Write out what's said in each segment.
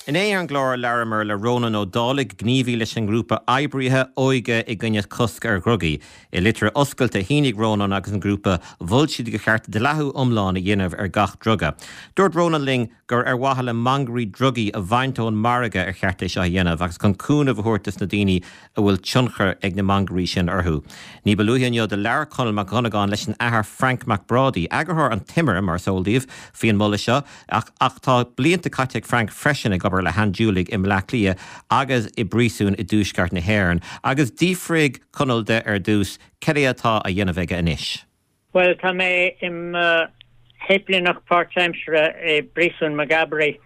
Inné ar an gclár labhramar le Rónán Ó Dálaigh, gníomhaí leis an ngrúpa Oibrithe Óige i gcoinne Cosc ar Dhrugaí. I litir oscailte a shínigh Rónán agus an grúpa, mhol siad gur cheart dleathú iomlán a dhéanamh ar gach druga. Dúirt Rónán linn gur ar mhaithe le mangairí drugaí a bhaint ón margadh ar cheart é seo a dhéanamh agus chun cúnamh a thabhairt dos na daoine a bhfuil tionchar ag na mangairí sin orthu. Ní ba luaithe inniu do labhair Conall Mac Dhonnagáin leis an Athair Frainc Mac Brádaigh, eagarthóir an Timire, mar is eol daoibh, faoin moladh seo, ach ach tá blianta caite ag Frank freisin ag obair le handiúlaigh i mBleá Cliath agus i bpríosúin i dtuaisceart na hÉireann. Agus d'fhiafraigh Conall de ar dtús cad é atá á dhéanamh aige anois. Bhuel, tá mé i mo shéiplíneach páirtaimseartha i bPríosún Maghaberry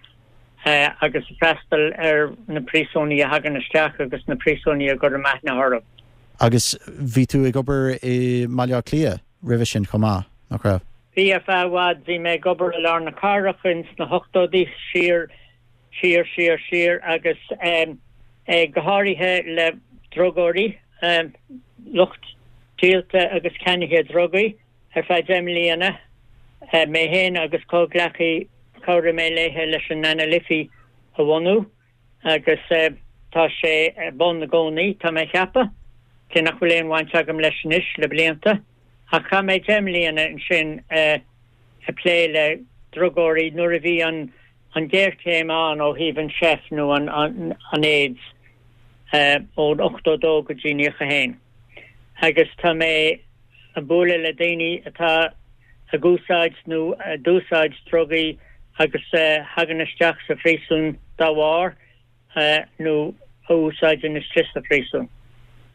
agus ag freastal ar na príosúnaigh a thagann isteach agus na príosúnaigh a gcuirim aithne orthu. Agus bhí tú ag obair i mBaile Átha Cliath roimhe sin chomh maith, nach raibh? Bhí, ar feadh i bhfad. Bhí mé ag obair i lár na cathrach ins na hochtóidí, siar, siar, siar, siar agus go háirithe le drugóirí. lucht díolta agus ceannaithe drugaí ar feadh 10 mbliana. Mé féin agus comhghleacaí, chabhraigh mé léithe leis an Ana Liffey a bhunú agus tá sé ar bun i gcónaí, tá mé a cheapadh, cé nach bhfuil aon bhaint agam leis anois le blianta. Ach chaith mé 10 mbliana ansin ag plé le drugóirí nuair a bhí an an ghéarchéim ann ó thaobh an seif nó an AIDS ón 82 go dtí 91 agus tá mé ag bualadh le daoine atá ag úsáid nó a d'úsáid drugaí agus a thagann isteach sa phríosún dá bharr. nó a úsáideann istigh sa phríosún.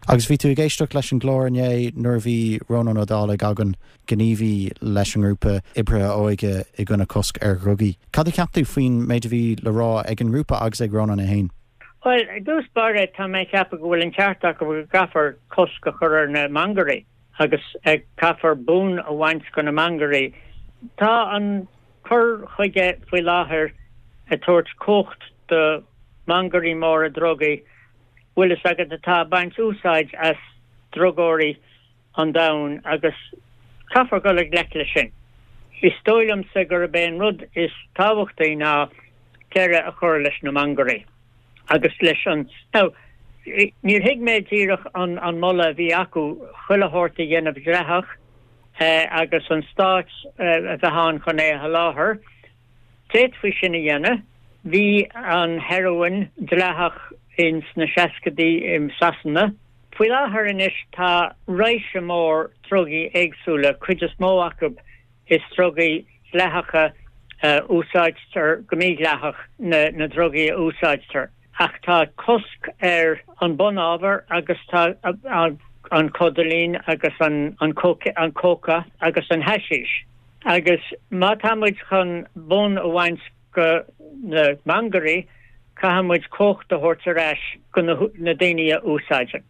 Agus bhí tú ag éisteacht leis an gclár inné nuair a bhí Rónán Ó Dálaigh againn, gníomhaí leis an ngrúpa Oibrithe Óige i gcoinne Cosc ar Dhrugaí. Cad a cheap tú faoin méid a bhí le rá ag an ngrúpa agus ag Rónán é féin? Bhuel, i dtús báire, tá mé ag ceapadh go bhfuil an ceart acu go gcaithfear cosc a chur ar na mangairí agus caithfear bonn a bhaint de na mangairí. Tá an cur chuige faoi láthair ag tabhairt cumhacht do mhangairí móra drugaí, bhfuil fhios agat, atá ag baint úsáid as drugóirí an domhain agus caithfear dul i ngleic leis sin. Is dóigh liomsa gurb é an rud is tábhachtaí ná deireadh a chur leis na mangairí agus leis an. Now, níor thuig mé díreach an moladh a bhí acu chuile shórt a dhéanamh dleathach agus an stát a bheith ann chun é a sholáthar. D'fhéadfaí sin a dhéanamh. Bhí an heroin dleathach ins na seascaidí i Sasana. Faoi láthair anois tá raidhse mór drugaí éagsúla, cuid is mó acu is drugaí dleathacha a úsáidtear go mídhleathach na drugaí a úsáidtear. Ach tá cosc ar an bunábhar agus tá an codainín agus an cóca agus an haisís. Agus má tá muid chun bonn a bhaint go na mangairí, caithfidh muid cumhacht a thabhairt ar ais go na daoine a úsáideann.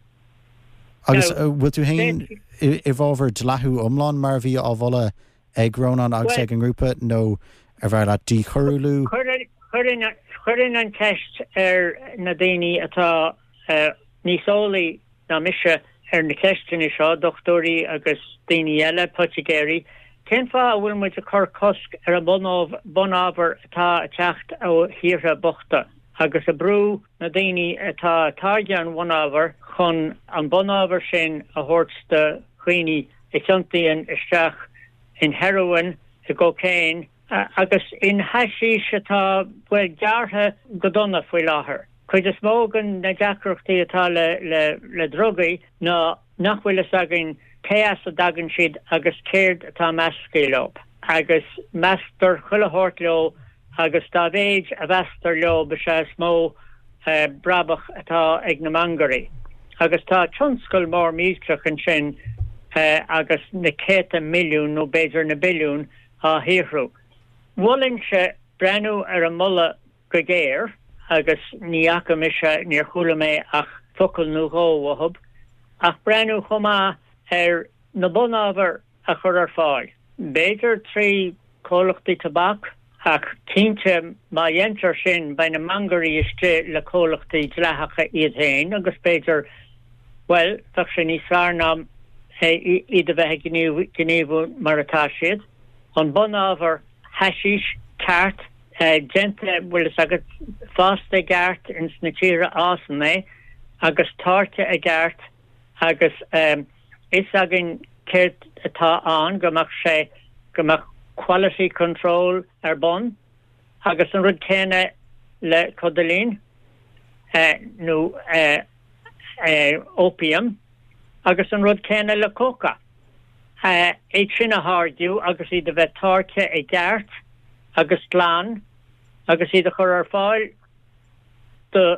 Agus bhfuil tú féin i bhfabhar dleathú iomlán mar a bhí á mholadh ag Rónán agus ag an ngrúpa nó ar bhfearr leat díchoiriúlú? Chuirfinn an cheist ar na daoine atá níos eolaí ná mise ar na ceisteanna seo, dochtúirí agus daoine eile, poitigéirí, cén fáth a bhfuil muid ag cur cosc ar an bunábhar atá ag teacht ó thíortha bochta agus ag brú na daoine atá ag táirgeadh an bhunábhair chun an bunábhar sin a thabhairt do dhaoine a thiontaíonn isteach in heroin, i gcocaine agus in haisís atá, bhuel, gearrtha go dona faoi láthair. Cuid is mó de na deacrachtaí atá le drugaí ná nach bhfuil fhios againn cé as a dtagann siad agus céard atá measctha leo. Agus measctar chuile shórt leo agus dá mhéid a mheasctar leo is ea is mó brabach atá ag na mangairí. Agus tá tionscal mór millteach ansin agus na céadta milliún nó b'fhéidir na billiúin á shaothrú. Mholfainnse breathnú ar an moladh go géar, agus ní fhaca mise, níor chuala mé ach focal nó dhó uathub, ach breathnú chomh maith ar na bunábhair a chur ar fáil, b'fhéidir trí chomhlachtaí tobac, ach cinnte má dhéantar sin beidh na mangairí istigh le comhlachtaí dleathacha iad féin agus b'fhéidir, bhuel, bheadh sé níos fearr ná iad a bheith ag gníomhú mar atá siad. An bunábhar haisís ceart. déanta, bhfuil fhios agat, fásta i gceart ins na tíortha a fhásann é agus táirgthe i gceart agus fhios againn céard atá ann, go mbeadh sé, go mbeadh quality control ar bun agus an rud céanna le codailein nó opium agus an rud céanna le cóca. Iad sin a tháirgiú agus iad a bheith táirgthe i gceart agus glan agus iad a chur ar fáil do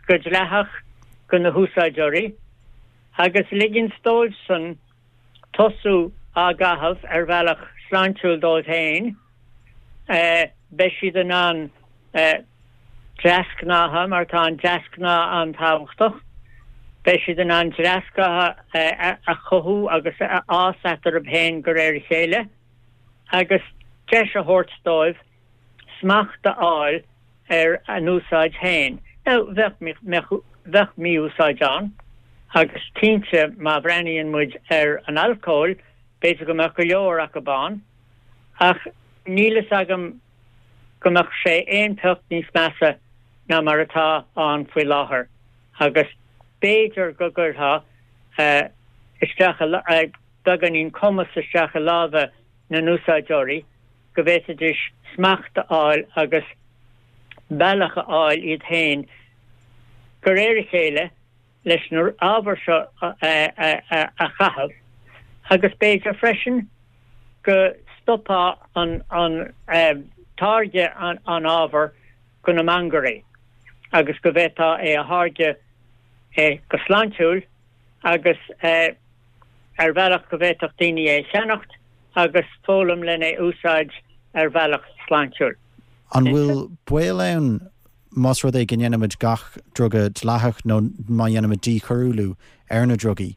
go dleathach go na húsáideoirí agus ligint dóibhsan tosú á gcaitheamh ar bhealach sláintiúil dóibh féin, beidh siad in ann deasghnátha, mar tá an deasghnáth an-tábhachtach, beidh siad in ann deasghnátha a chothú agus a fhás eatarthu féin de réir a chéile agus deis a thabhairt dóibh smacht a fháil ar a n-úsáid féin. Now, bheadh, bheadh mí-úsáid ann agus cinnte má bhreathnaíonn muid ar an alcól, b'fhéidir go mbeadh go leor acu ann, ach níl fhios agam go mbeadh sé aon phioc níos measa ná mar atá ann faoi láthair agus b'fhéidir go gcuirfeá isteach beagáinín cumas isteach i lámha na n-úsáideoirí go bhféadfaidís smacht a fháil agus bealach a fháil iad féin de réir a chéile leis na ábhair seo a chaitheamh agus b'fhéidir freisin go stopfá an táirgeadh an ábhair go na mangairí agus go bhféadfá é a tháirgeadh go sláintiúil agus ar bhealach go bhféadfadh daoine é a cheannacht agus foghlaim len é úsáid ar bhealach sláintiúil. An bhfuil baol ann más rud é go ndéanaimid gach druga dleathach nó má dhéanaimid díchoiriúlú ar na drugaí,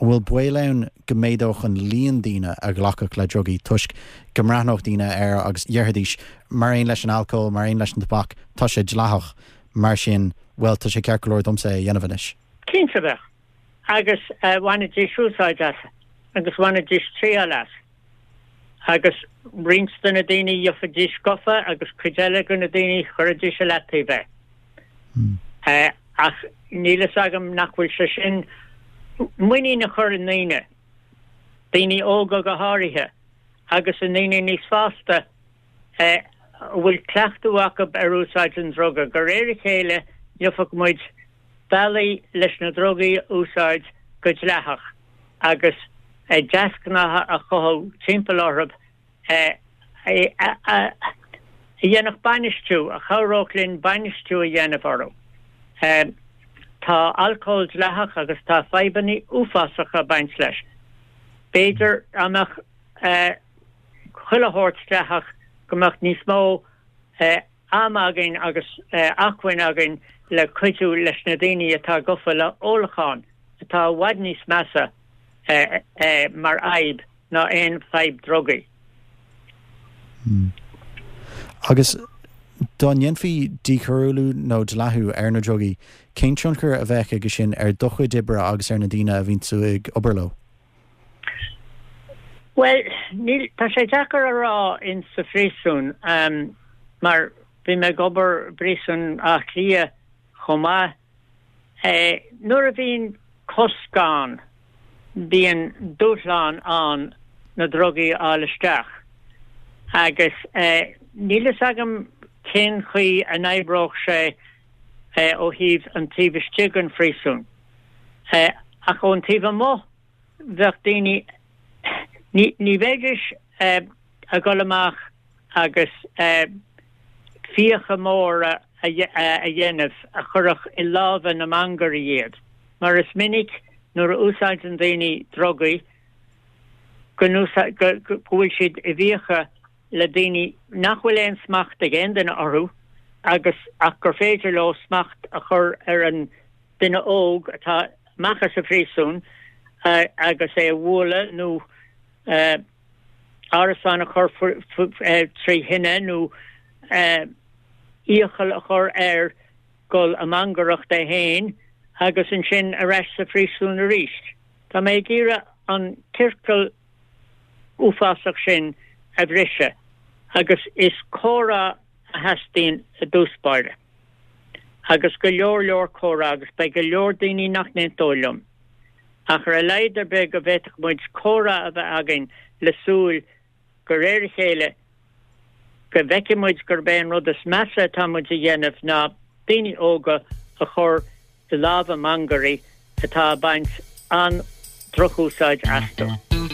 an bhfuil baol ann go méadódh an líon daoine a ghlacfadh le drugaí toisc go mbreathnódh daoine air agus dhéarfaidís, mar aon leis an alcól, mar aon leis an tobac, tá sé dleathach, mar sin, bhuel, tá sé ceart go leor domsa é a dhéanamh anois? Cinnte bheadh. Agus bhainfidís úsáid as agus bhainfidís triail as. Agus roinnt de na daoine gheobhaidís gofa agus cuid eile de na daoine chuirfidís i leataobh é. Ach níl fhios agam nach bhfuil sé sin muinín a chur i ndaoine, daoine óga go háirithe, agus i ndaoine níos fásta, a bhfuil cleachtadh acu ar úsáid an druga. De réir a chéile gheobhaidh muid bealaí leis na drugaí a úsáid go dleathach agus deasghnátha a chothú timpeall orthu a dhéanfadh bainistiú, a chabhródh linn bainistiú a dhéanamh orthu. Tá alcól dleathach agus tá fadhbanna uafásacha ag baint leis. B'fhéidir dá mbeadh chuile shórt dleathach go mbeadh níos mó am againn agus acmhainn againn le cuidiú leis na daoine atá gofa le ólachán, atá i bhfad níos measa mar fhadhb ná aon fadhb drugaí. Agus dá ndéanfaí díchoiriúlú nó dleathú ar na drugaí, cén tionchar a bheadh aige sin ar do chuid oibre agus ar na daoine a bhíonn tú ag obair leo? Bhuel, níl, tá sé deacair a rá in sa phríosún, mar bhí mé ag obair i bpríosún Átha Cliath chomh maith. Nuair a bhíonn cosc ann, bíonn dúshlán ann na drugaí a fháil isteach. Agus níl fhios agam cén chaoi a n-oibreodh sé ó thaobh an taobh istigh den phríosún. Ach ón taobh amuigh, bheadh daoine, ní, ní bheidís ag dul amach agus fiacha móra a dhéanamh a chuirfeadh i lámha na mangairí iad, mar is minic nuair a úsáideann daoine drugaí go go bhfuil siad i bhfiacha le daoine nach bhfuil aon smacht ag aon duine orthu agus ach gur féidir leo smacht a chur ar an duine óg atá amach as an phríosún agus é a bhualadh nó árasán a chur trí thine nó iachall a chur air dul ag mangaireacht é féin agus ansin ar ais sa phríosún arís. Tá mé ag iarraidh an ciorcal uafásach sin a bhriseadh agus is comhrá. a theastaíonn i dtús báire. Agus go leor leor comhrá agus beidh go leor daoine nach n-aontóidh liom. Ach ar a laghad ar bith go bhféadfadh muid comhrá a bheith againn le súil de réir a chéile go bhfeicfidh muid gurb é an rud is measa atá muid a dhéanamh ná daoine óga a chur i lámha mangairí atá ag baint an-drochúsáid astu.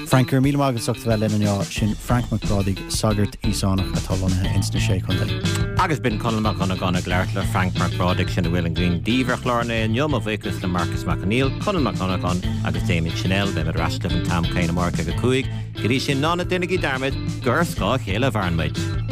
Frank, go raibh míle maith agat as ucht a bheith linn inniu. Sin Frank Mac Brádaigh, sagart Íosánach atá lonnaithe ins na Sé Chontae. Agus b'in Conall Mac Dhonnagáin ag labhairt le Frank Mac Brádaigh, sin a bhfuil againn daoibh ar chlár an lae inniu. Mo bhuíochas le Marcas Mac Conghail, Conall Mac Dhonnagáin agus Damien Channel. Beimid ar ais libh an t-am céanna amárach ag 5. Go dtí sin, ná déanaigí dearmad gur ar scáth a chéile a mhaireann muid.